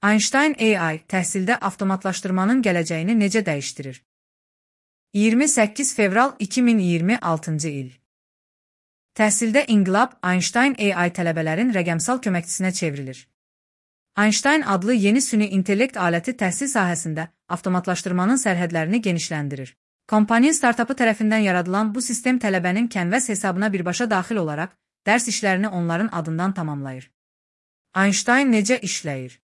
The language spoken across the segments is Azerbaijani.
Einstein AI təhsildə avtomatlaşdırmanın gələcəyini necə dəyişdirir? 28 fevral 2026-cı il. Təhsildə inqilab Einstein AI tələbələrin rəqəmsal köməkçisinə çevrilir. Einstein adlı yeni süni intellekt aləti təhsil sahəsində avtomatlaşdırmanın sərhədlərini genişləndirir. Kompaniya startapı tərəfindən yaradılan bu sistem tələbənin Canvas hesabına birbaşa daxil olaraq dərs işlərini onların adından tamamlayır. Einstein necə işləyir?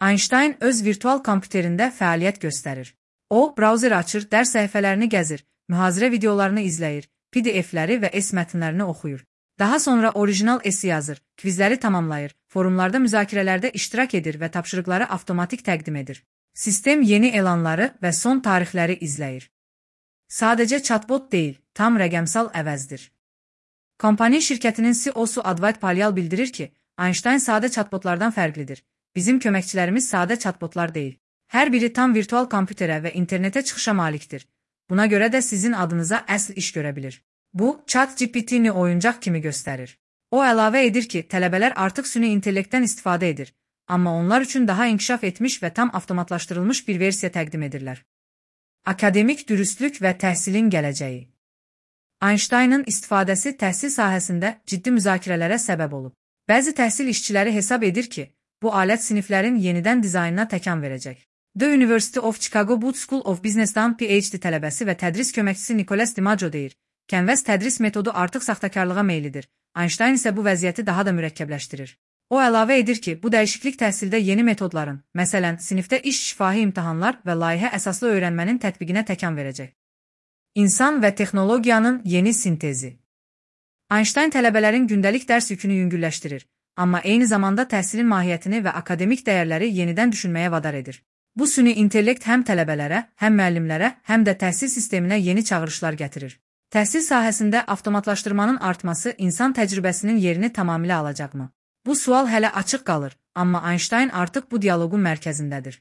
Einstein öz virtual kompüterində fəaliyyət göstərir. O, brauzer açır, dərs səhifələrini gəzir, mühazirə videolarını izləyir, PDF-ləri və mətnlərini oxuyur. Daha sonra orijinal essi yazır, kvizləri tamamlayır, forumlarda müzakirələrdə iştirak edir və tapşırıqları avtomatik təqdim edir. Sistem yeni elanları və son tarixləri izləyir. Sadəcə chatbot deyil, tam rəqəmsal əvəzdir. Kompaniya şirkətinin CEO-su Advait Palyal bildirir ki, Einstein sadə chatbotlardan fərqlidir. Bizim köməkçilərimiz sadə chatbotlar deyil. Hər biri tam virtual kompüterə və internetə çıxışa malikdir. Buna görə də sizin adınıza əsl iş görə bilir. Bu, ChatGPT-ni oyuncaq kimi göstərir. O əlavə edir ki, tələbələr artıq süni intellektdən istifadə edir, amma onlar üçün daha inkişaf etmiş və tam avtomatlaşdırılmış bir versiya təqdim edirlər. Akademik dürüstlük və təhsilin gələcəyi. Einsteinın istifadəsi təhsil sahəsində ciddi müzakirələrə səbəb olub. Bəzi təhsil işçiləri hesab edir ki, bu alət siniflərin yenidən dizaynına təkan verəcək. The University of Chicago Booth School of Business-dan PhD tələbəsi və tədris köməkçisi Nicholas DiMaggio deyir, Canvas tədris metodu artıq saxtakarlığa meylidir. Einstein isə bu vəziyyəti daha da mürəkkəbləşdirir. O əlavə edir ki, bu dəyişiklik təhsildə yeni metodların, məsələn, sinifdə iş şifahi imtahanlar və layihə əsaslı öyrənmənin tətbiqinə təkan verəcək. İnsan və texnologiyanın yeni sintezi. Einstein tələbələrin gündəlik dərs yükünü yüngülləşdirir, amma eyni zamanda təhsilin mahiyyətini və akademik dəyərləri yenidən düşünməyə vadar edir. Bu süni intellekt həm tələbələrə, həm müəllimlərə, həm də təhsil sisteminə yeni çağırışlar gətirir. Təhsil sahəsində avtomatlaşdırmanın artması insan təcrübəsinin yerini tamamilə alacaqmı? Bu sual hələ açıq qalır, amma Einstein artıq bu dialoqun mərkəzindədir.